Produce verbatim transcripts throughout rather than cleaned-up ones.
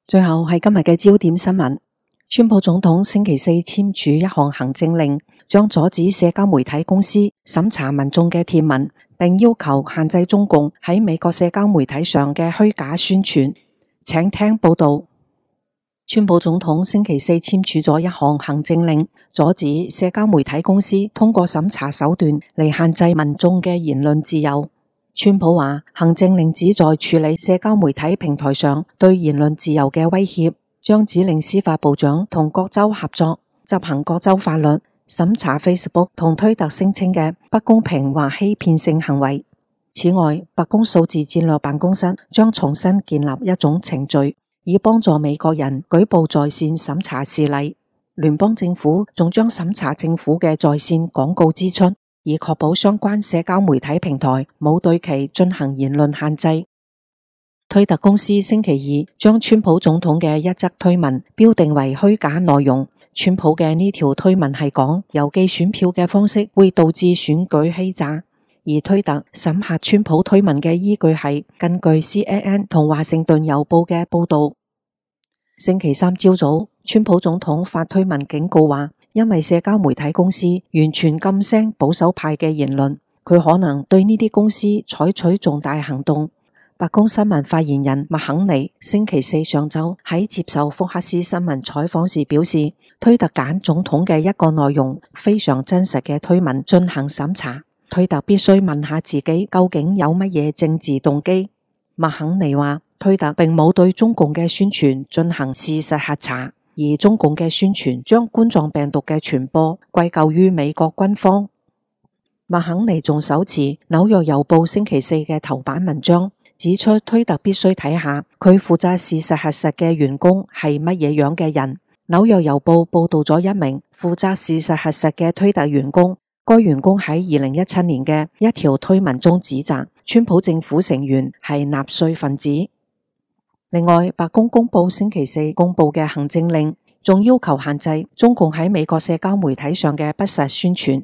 最後係今日嘅焦點新聞，川普總統星期四簽署一項行政令，將阻止社交媒體公司審查民眾嘅貼文，並要求限制中共喺美國社交媒體上嘅虛假宣傳。請聽報道。川普總統星期四簽署咗一項行政令，阻止社交媒體公司通過審查手段嚟限制民眾嘅言論自由。川普話，行政令旨在處理社交媒體平台上對言論自由嘅威脅，將指令司法部長同各州合作執行各州法律，審查 Facebook 同推特聲稱嘅不公平或欺騙性行為。此外，白宮數字戰略辦公室將重新建立一種程序，以幫助美國人舉報在線審查事例。聯邦政府仲將審查政府嘅在線廣告支出，以確保相關社交媒體平台冇對其進行言論限制。推特公司星期二將川普總統嘅一則推文標定為虛假內容。川普嘅呢條推文係講郵寄選票嘅方式會導致選舉欺詐，而推特審核川普推文嘅依據係根據 C N N 同華盛頓郵報嘅報道。星期三朝早，川普總統發推文警告話，因為社交媒體公司完全禁聲保守派嘅言論，佢可能對呢啲公司採取重大行動。白宮新聞發言人麥肯尼星期四上晝喺接受福克斯新聞採訪時表示，推特揀總統嘅一個內容非常真實嘅推文進行審查，推特必須問下自己究竟有乜嘢政治動機。麥肯尼話，推特並冇對中共嘅宣傳進行事實核查，而中共嘅宣傳將冠狀病毒嘅傳播歸咎於美國軍方。麥肯尼仲手持紐約郵報星期四嘅頭版文章，指出推特必須睇下佢負責事實核實嘅員工係乜嘢樣嘅人。紐約郵報報道咗一名負責事實核實嘅推特員工，該員工喺二零一七年嘅一條推文中指責川普政府成員係納粹分子。另外，白宮公布星期四公布嘅行政令，仲要求限制中共喺美國社交媒體上嘅不實宣傳。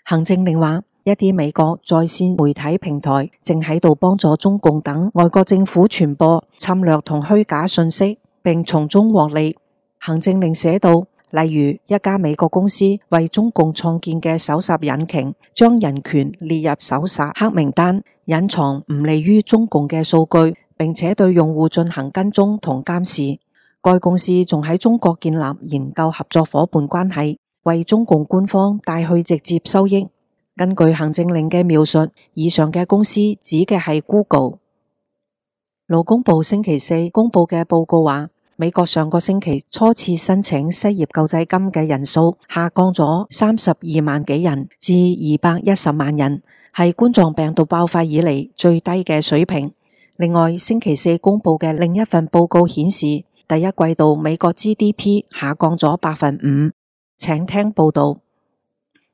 行政令話，一啲美國在線媒體平台正喺度幫助中共等外國政府傳播侵略同虛假信息，並從中獲利。行政令寫到，例如一家美國公司為中共創建嘅搜索引擎，將人權列入搜索黑名單，隱藏唔利於中共嘅數據，並且對用戶進行跟蹤同監視。該公司仲喺中國建立研究合作夥伴關係，為中共官方帶去直接收益。根據行政令嘅描述，以上嘅公司指嘅係 Google。勞工部星期四公布嘅報告話，美國上個星期初次申請失業救濟金嘅人數下降咗三十二萬幾人至二百一十萬人，係冠狀病毒爆發以嚟最低嘅水平。另外，星期四公布嘅另一份報告顯示，第一季度美國 G D P 下降咗百分五。請聽報道。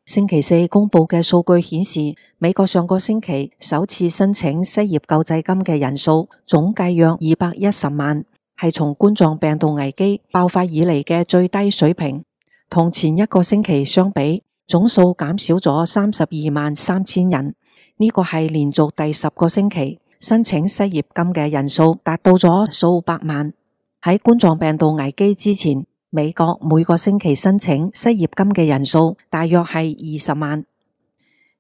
星期四公布嘅數據顯示，美國上個星期首次申請失業救濟金嘅人數總計約二百一十萬，係從冠狀病毒危機爆發以嚟嘅最低水平。同前一個星期相比，總數減少咗三十二萬三千人。呢個係連續第十個星期申請失業金嘅人數達到咗數百萬。喺冠狀病毒危機之前，美國每個星期申請失業金嘅人數大約係二十萬，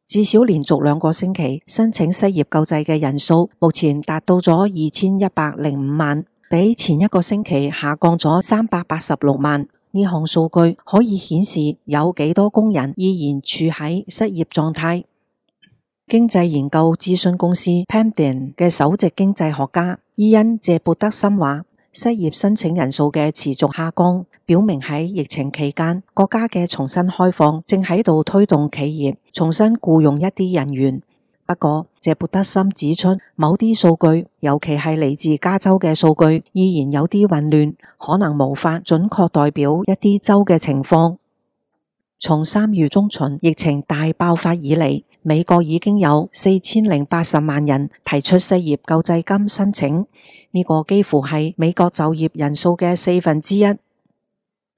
至少連續兩個星期申請失業救濟嘅人數目前達到咗二千一百零五萬，比前一個星期下降咗三百八十六萬。呢項數據可以顯示有幾多工人依然處喺失業狀態。經濟研究諮詢公司 Pamden 嘅首席經濟學家伊恩謝布德森話，失業申請人數嘅持續下降，表明喺疫情期間，國家嘅重新開放正喺度推動企業重新僱用一啲人員。不過，謝布德森指出，某啲數據，尤其係嚟自加州嘅數據，依然有啲混亂，可能無法準確代表一啲州嘅情況。從三月中旬疫情大爆發以嚟，美國已經有四千零八十萬人提出失業救濟金申請，呢個幾乎係美國就業人數嘅四分之一。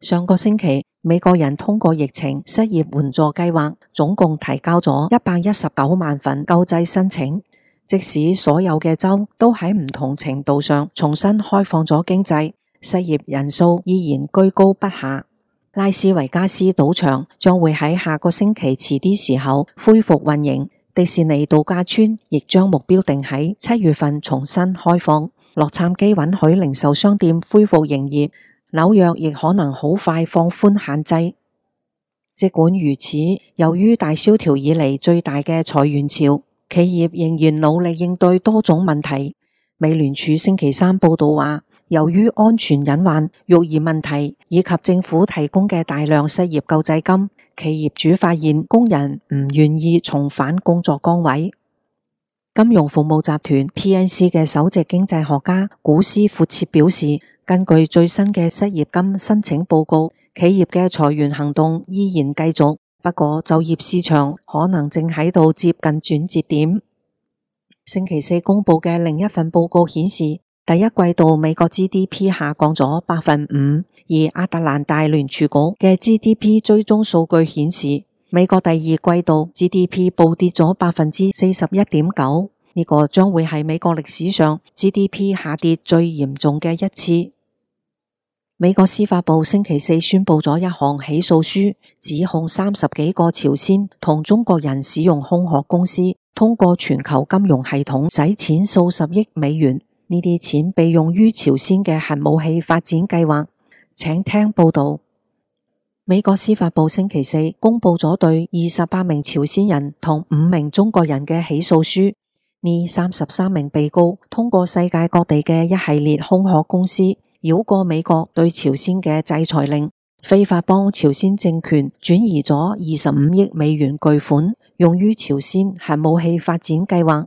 上個星期，美國人通過疫情失業援助計劃，總共提交咗一百一十九萬份救濟申請。即使所有嘅州都喺唔同程度上重新開放咗經濟，失業人數依然居高不下。拉斯維加斯賭場將會喺下個星期遲啲時候恢復運營，迪士尼度假村亦將目標定喺七月份重新開放。洛杉磯允許零售商店恢復營業，紐約亦可能好快放寬限制。儘管如此，由於大蕭條以嚟最大嘅裁員潮，企業仍然努力應對多種問題。美聯儲星期三報道話，由於安全隱患、育兒問題以及政府提供嘅大量失業救濟金，企業主發現工人唔願意重返工作崗位。金融服務集團 P N C 嘅首席經濟學家古斯闊切表示，根據最新嘅失業金申請報告，企業嘅裁員行動依然繼續，不過就業市場可能正喺度接近轉折點。星期四公布嘅另一份報告顯示，第一季度美國 G D P 下降咗百分五，而亞特蘭大聯儲局嘅 G D P 追蹤數據顯示，美國第二季度 G D P 暴跌咗百分之四十一點九，呢個將會係美國歷史上 G D P 下跌最嚴重嘅一次。美國司法部星期四宣布咗一項起訴書，指控三十幾個朝鮮同中國人使用空殼公司，通過全球金融系統洗錢數十億美元。呢啲錢被用於朝鮮嘅核武器發展計劃。請聽報道。美國司法部星期四公布咗對二十八名朝鮮人同五名中國人嘅起訴書。呢三十三名被告通過世界各地嘅一系列空殼公司，繞過美國對朝鮮嘅制裁令，非法幫朝鮮政權轉移咗二十五億美元巨款，用於朝鮮核武器發展計劃。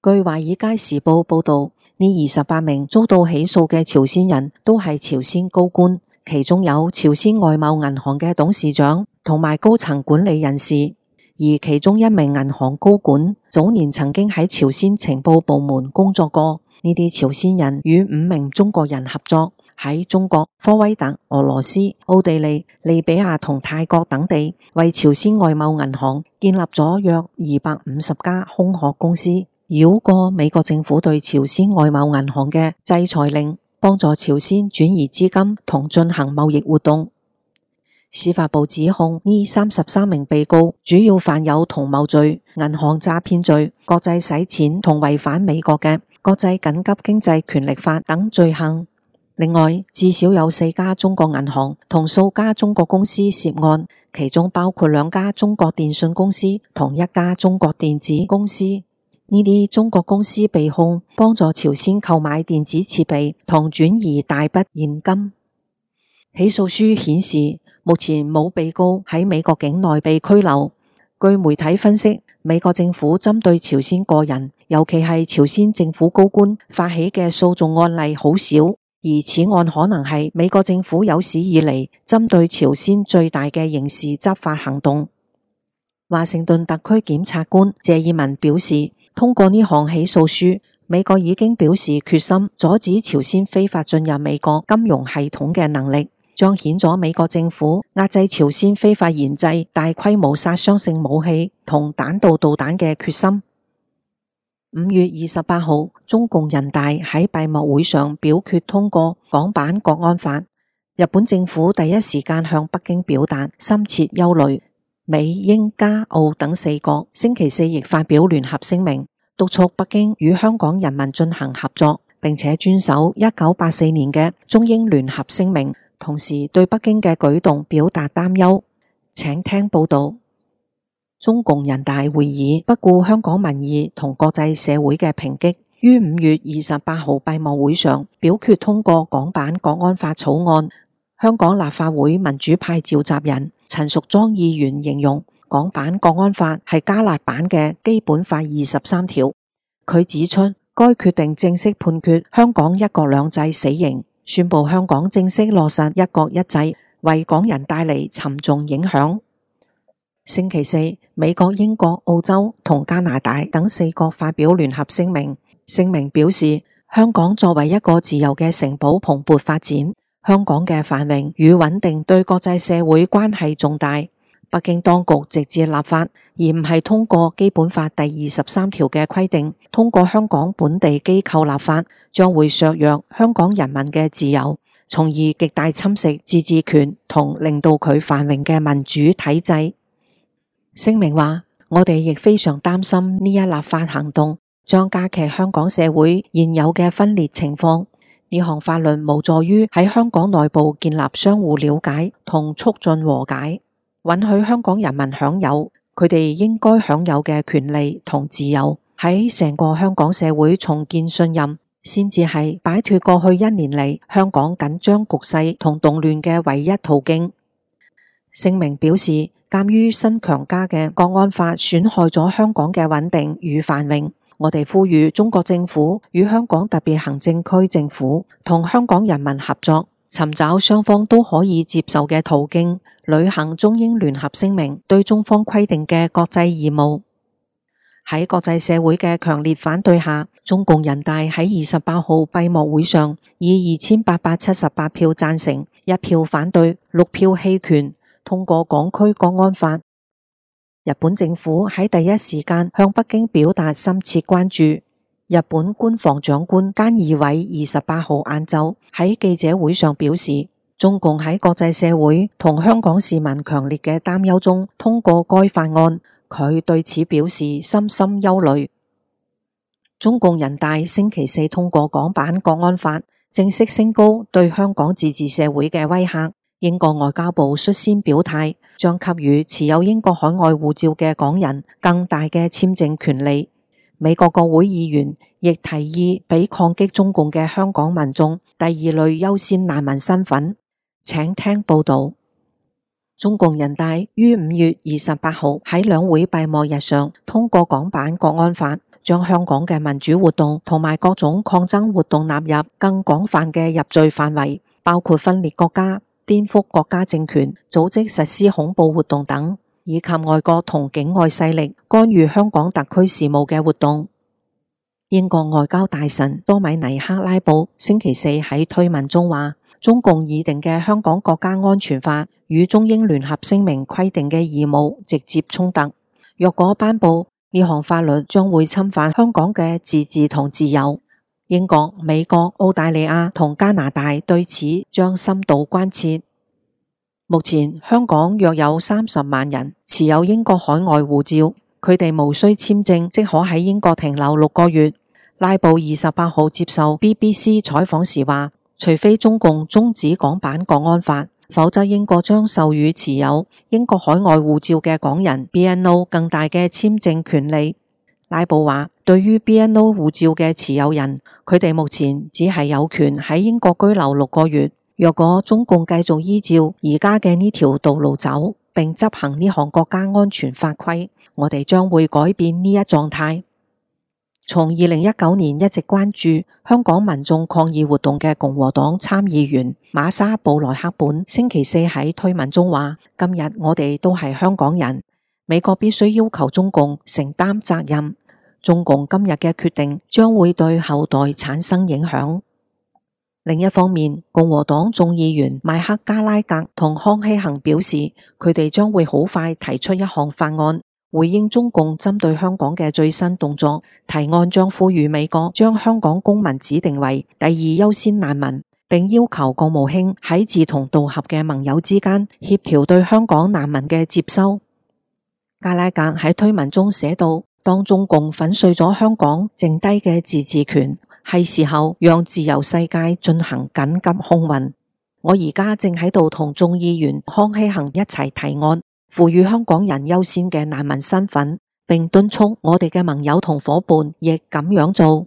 據華爾街時報報道，呢二十八名遭到起訴嘅朝鮮人都係朝鮮高官，其中有朝鮮外貿銀行嘅董事長同埋高層管理人士，而其中一名銀行高管早年曾經喺朝鮮情報部門工作過。呢啲朝鮮人與五名中國人合作，喺中國、科威特、俄羅斯、奧地利、利比亞同泰國等地為朝鮮外貿銀行建立咗約二百五十家空殼公司，繞過美國政府對朝鮮外貿銀行嘅制裁令，幫助朝鮮轉移資金同進行貿易活動。司法部指控呢三十三名被告主要犯有同謀罪、銀行詐騙罪、國際洗錢同違反美國嘅國際緊急經濟權力法等罪行。另外，至少有四家中國銀行同數家中國公司涉案，其中包括兩家中國電信公司同一家中國電子公司。呢啲中國公司被控幫助朝鮮購買電子設備同轉移大筆現金。起訴書顯示，目前冇被告喺美國境內被拘留。據媒體分析，美國政府針對朝鮮個人，尤其係朝鮮政府高官發起嘅訴訟案例好少，而此案可能係美國政府有史以嚟針對朝鮮最大嘅刑事執法行動。華盛頓特區檢察官謝爾文表示，通過呢項起訴書，美國已經表示決心阻止朝鮮非法進入美國金融系統嘅能力，彰顯咗美國政府壓制朝鮮非法研製大規模殺傷性武器同彈道導彈嘅決心。五月二十八號，中共人大喺閉幕會上表決通過港版國安法。日本政府第一時間向北京表達深切憂慮。美、英、加、澳等四國星期四亦發表聯合聲明，督促北京與香港人民進行合作，並且遵守一九八四年嘅中英聯合聲明，同時對北京嘅舉動表達擔憂。請聽報道。中共人大會議不顧香港民意同國際社會嘅抨擊，於五月二十八號閉幕會上表決通過港版國安法草案。香港立法會民主派召集人陳淑莊議員形容港版國安法係加辣版嘅基本法二十三條。佢指出，該決定正式判決香港一國兩制死刑，宣布香港正式落實一國一制，為港人帶嚟沉重影響。星期四，美國、英國、澳洲同加拿大等四國發表聯合聲明，聲明表示，香港作為一個自由嘅城堡蓬勃發展，香港嘅繁榮與穩定對國際社會關係重大。北京當局直接立法，而唔係通過基本法第二十三條嘅規定，通過香港本地機構立法，將會削弱香港人民嘅自由，從而極大侵蝕自治權同令到佢繁榮嘅民主體制。聲明話，我哋亦非常擔心呢一立法行動將加劇香港社會現有嘅分裂情況。呢項法律無助於喺香港內部建立相互了解同促進和解，允許香港人民享有佢哋應該享有嘅權利同自由，喺成個香港社會重建信任，先至係擺脫過去一年嚟香港緊張局勢同動亂嘅唯一途徑。聲明表示，鑒於新強加嘅國安法損害咗香港嘅穩定與繁榮，我哋呼籲中國政府與香港特別行政區政府同香港人民合作，尋找雙方都可以接受嘅途徑，履行中英聯合聲明對中方規定嘅國際義務。喺國際社會嘅強烈反對下，中共人大喺二十八號閉幕會上以二千八百七十八票贊成、一票反對、六票棄權通過港區國安法。日本政府喺第一時間向北京表達深切關注。日本官房長官菅義偉二十八號晏晝喺記者會上表示，中共喺國際社會同香港市民強烈嘅擔憂中通過該法案，佢對此表示深深憂慮。中共人大星期四通過港版國安法，正式升高對香港自治社會嘅威嚇。英國外交部率先表態，將給予持有英國海外護照嘅港人更大嘅簽證權利。美國國會議員亦提議俾抗擊中共嘅香港民眾第二類優先難民身份。請聽報道。中共人大於五月二十八號喺兩會閉幕日上通過港版國安法，將香港嘅民主活動同埋各種抗爭活動納入更廣泛嘅入罪範圍，包括分裂國家、顛覆國家政權、組織實施恐怖活動等，以及外國同境外勢力干預香港特區事務嘅活動。英國外交大臣多米尼克拉布星期四喺推文中話，中共擬定嘅香港國家安全法與中英聯合聲明規定嘅義務直接衝突。若果頒布，呢項法律將會侵犯香港嘅自治同自由。英國、美國、澳大利亞同加拿大對此將深度關切。目前香港約有三十萬人持有英國海外護照，佢哋無需簽證即可喺英國停留六個月。拉布二十八號接受 B B C 採訪時話，除非中共終止港版國安法，否則英國將授予持有英國海外護照嘅港人 B N O 更大嘅簽證權利。拉布話，對於 B N O 護照嘅持有人，佢哋目前只係有權喺英國居留六個月。若果中共繼續依照而家嘅呢條道路走，並執行呢項國家安全法規，我哋將會改變呢一狀態。從二零一九年一直關注香港民眾抗議活動嘅共和黨參議員瑪莎布萊克本星期四喺推文中話，今日我哋都係香港人，美國必須要求中共承擔責任。中共今日嘅決定將會對後代產生影響。另一方面，共和黨眾議員邁克加拉格同康希恒表示，佢哋將會好快提出一項法案，回應中共針對香港嘅最新動作。提案將呼籲美國將香港公民指定為第二優先難民，並要求國務卿喺志同道合嘅盟友之間協調對香港難民嘅接收。加拉格喺推文中寫道，當中共粉碎咗香港剩低嘅自治權，係時候讓自由世界進行緊急空運。我而家正喺度同眾議員康希恒一齊提案，賦予香港人優先嘅難民身份，並敦促我哋嘅盟友同夥伴亦咁樣做。